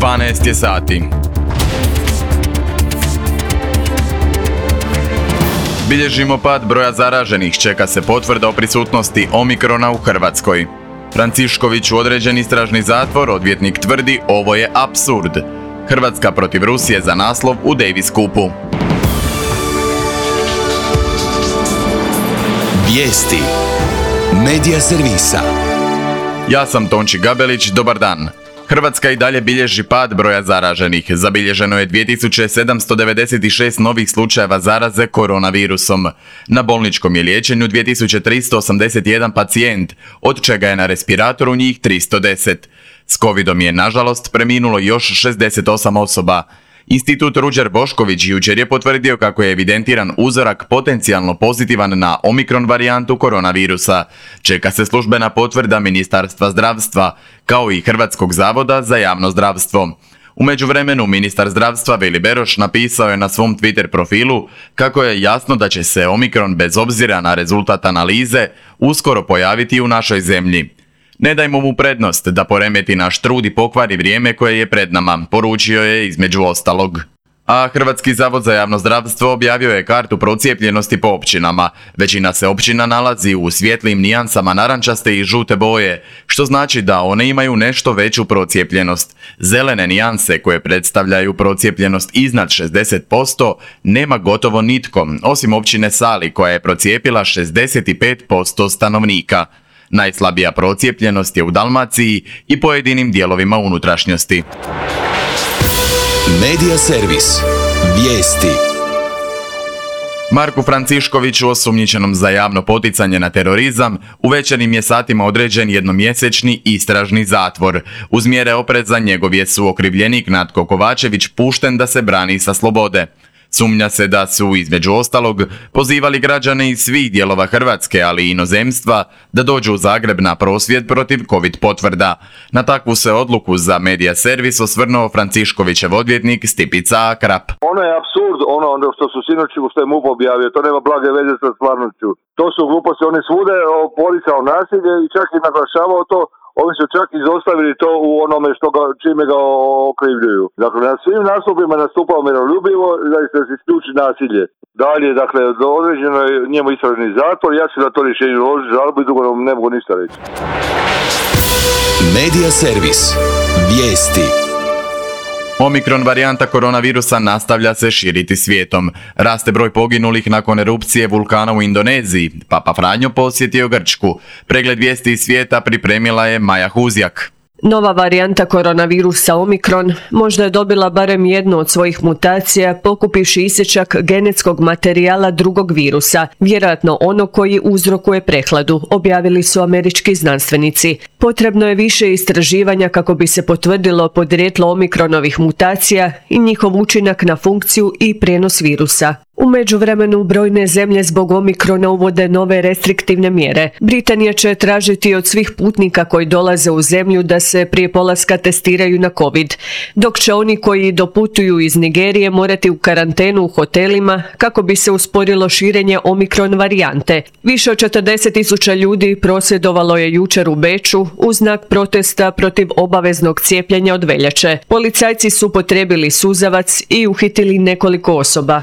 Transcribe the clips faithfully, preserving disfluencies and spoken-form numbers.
dvanaest je sati. Bilježimo pad broja zaraženih, čeka se potvrda o prisutnosti Omikrona u Hrvatskoj. Francišković u određen istražni zatvor, odvjetnik tvrdi ovo je apsurd. Hrvatska protiv Rusije za naslov u Davis Cupu. Vijesti Medija servisa. Ja sam Tonči Gabelić, dobar dan. Hrvatska i dalje bilježi pad broja zaraženih. Zabilježeno je dvije tisuće sedamsto devedeset šest novih slučajeva zaraze koronavirusom. Na bolničkom je liječenju dvije tisuće tristo osamdeset jedan pacijent, od čega je na respiratoru njih tristo deset. S covidom je, nažalost, preminulo još šezdeset osam osoba. Institut Ruđer Bošković jučer je potvrdio kako je evidentiran uzorak potencijalno pozitivan na Omikron varijantu koronavirusa. Čeka se službena potvrda Ministarstva zdravstva, kao i Hrvatskog zavoda za javno zdravstvo. U međuvremenu ministar zdravstva Vili Beroš napisao je na svom Twitter profilu kako je jasno da će se Omikron bez obzira na rezultat analize uskoro pojaviti u našoj zemlji. Ne dajmo mu prednost da poremeti naš trud i pokvari vrijeme koje je pred nama, poručio je između ostalog. A Hrvatski zavod za javno zdravstvo objavio je kartu procijepljenosti po općinama. Većina se općina nalazi u svjetlim nijansama narančaste i žute boje, što znači da one imaju nešto veću procijepljenost. Zelene nijanse, koje predstavljaju procijepljenost iznad šezdeset posto, nema gotovo nitko, osim općine Sali koja je procijepila šezdeset pet posto stanovnika. Najslabija procijepljenost je u Dalmaciji i pojedinim dijelovima unutrašnjosti. Medija servis. Vijesti. Marku Franciškoviću, osumnjičenom za javno poticanje na terorizam, u večernjim je satima određen jednomjesečni istražni zatvor. Uz mjere opreza njegov je suokrivljenik Natko Kovačević pušten da se brani sa slobode. Sumnja se da su, između ostalog, pozivali građane iz svih dijelova Hrvatske, ali i inozemstva, da dođu u Zagreb na prosvjed protiv covid potvrda. Na takvu se odluku za Medija servis osvrnuo Franciškovićev odvjetnik Stipica Akrap. Ono je apsurd, ono što su sinoć, što je MUP objavio, to nema blage veze sa stvarnošću. To su gluposti, oni svude poricao nasilje i čak i naglašavao to. Oni su čak izostavili to u onome što ga, čime ga okrivljuju. Dakle, na svim nastupima nastupao miroljubivo da se isključi nasilje. Dalje, dakle, određeno je njemu istražni zatvor, ja ću na to rješenje uložiti žalbu i dugo ne mogu ništa reći. Medija servis. Vijesti. Omikron varijanta koronavirusa nastavlja se širiti svijetom. Raste broj poginulih nakon erupcije vulkana u Indoneziji. Papa Franjo posjetio Grčku. Pregled vijesti iz svijeta pripremila je Maja Huzjak. Nova varijanta koronavirusa Omikron možda je dobila barem jednu od svojih mutacija pokupivši isječak genetskog materijala drugog virusa, vjerojatno ono koji uzrokuje prehladu, objavili su američki znanstvenici. Potrebno je više istraživanja kako bi se potvrdilo podrijetlo Omikronovih mutacija i njihov učinak na funkciju i prijenos virusa. U međuvremenu brojne zemlje zbog Omikrona uvode nove restriktivne mjere. Britanija će tražiti od svih putnika koji dolaze u zemlju da se prije polaska testiraju na COVID, dok će oni koji doputuju iz Nigerije morati u karantenu u hotelima kako bi se usporilo širenje Omikron varijante. Više od četrdeset tisuća ljudi prosvjedovalo je jučer u Beču u znak protesta protiv obaveznog cijepljenja od veljače. Policajci su upotrijebili suzavac i uhitili nekoliko osoba.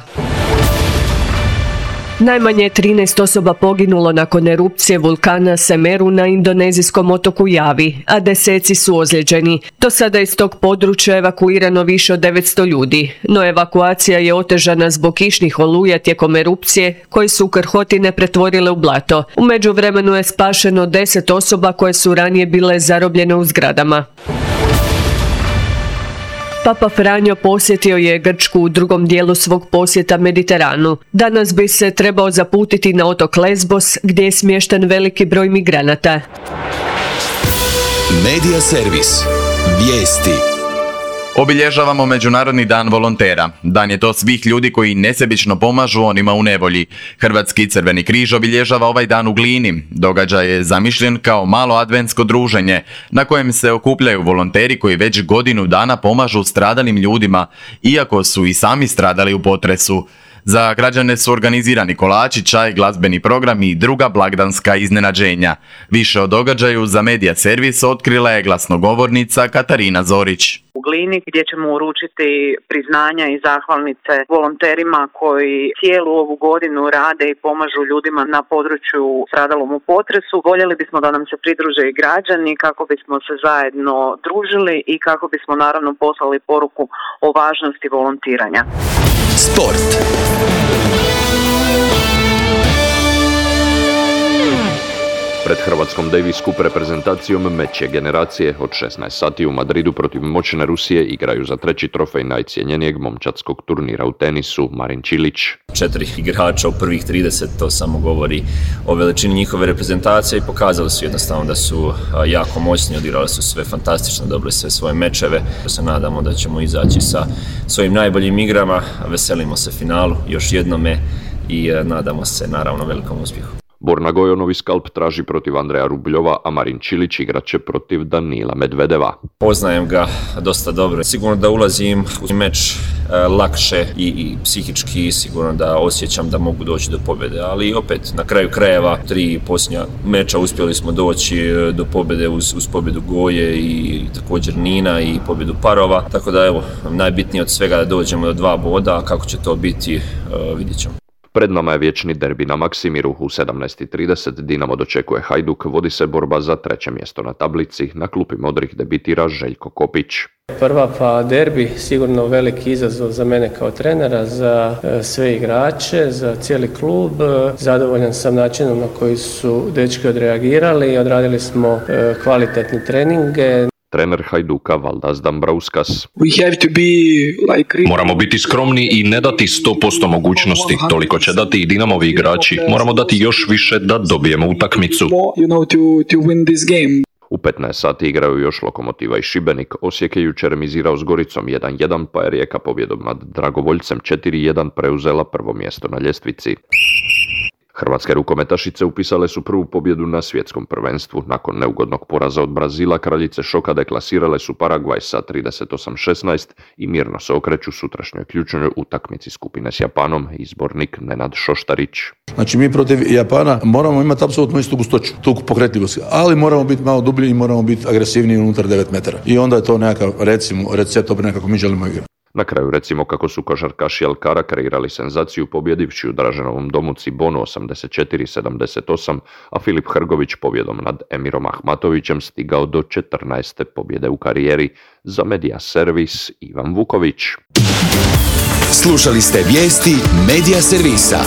Najmanje trinaest osoba poginulo nakon erupcije vulkana Semeru na indonezijskom otoku Javi, a deseci su ozlijeđeni. Do sada iz tog područja evakuirano više od devetsto ljudi, no evakuacija je otežana zbog kišnih oluja tijekom erupcije, koji su krhotine pretvorile u blato. U međuvremenu je spašeno deset osoba koje su ranije bile zarobljene u zgradama. Papa Franjo posjetio je Grčku u drugom dijelu svog posjeta Mediteranu. Danas bi se trebao zaputiti na otok Lesbos, gdje je smješten veliki broj migranata. Medija servis. Vijesti. Obilježavamo Međunarodni dan volontera. Dan je to svih ljudi koji nesebično pomažu onima u nevolji. Hrvatski Crveni križ obilježava ovaj dan u Glini. Događaj je zamišljen kao malo adventsko druženje, na kojem se okupljaju volonteri koji već godinu dana pomažu stradalim ljudima, iako su i sami stradali u potresu. Za građane su organizirani kolači, čaj, glazbeni program i druga blagdanska iznenađenja. Više o događaju za Medija servis otkrila je glasnogovornica Katarina Zorić. u Glini gdje ćemo uručiti priznanja i zahvalnice volonterima koji cijelu ovu godinu rade i pomažu ljudima na području stradalom u potresu. Voljeli bismo da nam se pridruže i građani kako bismo se zajedno družili i kako bismo naravno poslali poruku o važnosti volontiranja. Sport. Pred Hrvatskom Davis Cup reprezentacijom meč je generacije od šesnaest sati u Madridu protiv moćne Rusije igraju za treći trofej najcjenjenijeg momčadskog turnira u tenisu Marin Čilić. Četiri igrača u prvih trideset, to samo govori o veličini njihove reprezentacije i pokazali su jednostavno da su jako moćni, odigrali su sve fantastično, dobili sve svoje mečeve. Se nadamo da ćemo izaći sa svojim najboljim igrama, veselimo se finalu još jednome i nadamo se naravno velikom uspjehu. Borna Gojonovi skalp traži protiv Andreja Rubljova, a Marin Čilić igraće protiv Danila Medvedeva. Poznajem ga dosta dobro. Sigurno da ulazim u meč e, lakše i, i psihički, sigurno da osjećam da mogu doći do pobjede, ali opet na kraju krajeva tri posljednja meča uspjeli smo doći do pobjede uz, uz pobjedu Goje i, i također Nina i pobjedu parova, tako da evo, najbitnije od svega da dođemo do dva boda, a kako će to biti e, vidjet ćemo. Pred nama je vječni derbi na Maksimiru. U sedamnaest i trideset Dinamo dočekuje Hajduk, vodi se borba za treće mjesto na tablici. Na klupi modrih debitira Željko Kopić. Prva pa derbi, sigurno veliki izazov za mene kao trenera, za sve igrače, za cijeli klub. Zadovoljan sam načinom na koji su dečki odreagirali, odradili smo kvalitetne treninge. Trener Hajduka Valdas Dambrauskas. Like... Moramo biti skromni i ne dati sto posto mogućnosti. Toliko će dati i Dinamovi igrači. Moramo dati još više da dobijemo utakmicu. U petnaest sati igraju još Lokomotiva i Šibenik. Osijek je jučer remizirao s Goricom jedan jedan, pa je Rijeka pobjedom nad Dragovoljcem četiri jedan preuzela prvo mjesto na ljestvici. Hrvatske rukometašice upisale su prvu pobjedu na svjetskom prvenstvu. Nakon neugodnog poraza od Brazila, kraljice šoka deklasirale su Paragvaj sa trideset osam šesnaest i mirno se okreću sutrašnjoj ključnoj utakmici skupine s Japanom, izbornik Nenad Šoštarić. Znači mi protiv Japana moramo imati apsolutno istu gustoću, tu pokretljivost, ali moramo biti malo dublji i moramo biti agresivniji unutar devet metara. I onda je to nekakav, recimo, recept opet nekako mi želimo igrati. Na kraju recimo kako su košarkaši Alkara kreirali senzaciju pobjedivši u Draženovom domu Cibonu osamdeset četiri sedamdeset osam, a Filip Hrgović pobjedom nad Emirom Ahmatovićem stigao do četrnaeste pobjede u karijeri. Za Medija Servis Ivan Vuković. Slušali ste vijesti Medija Servisa.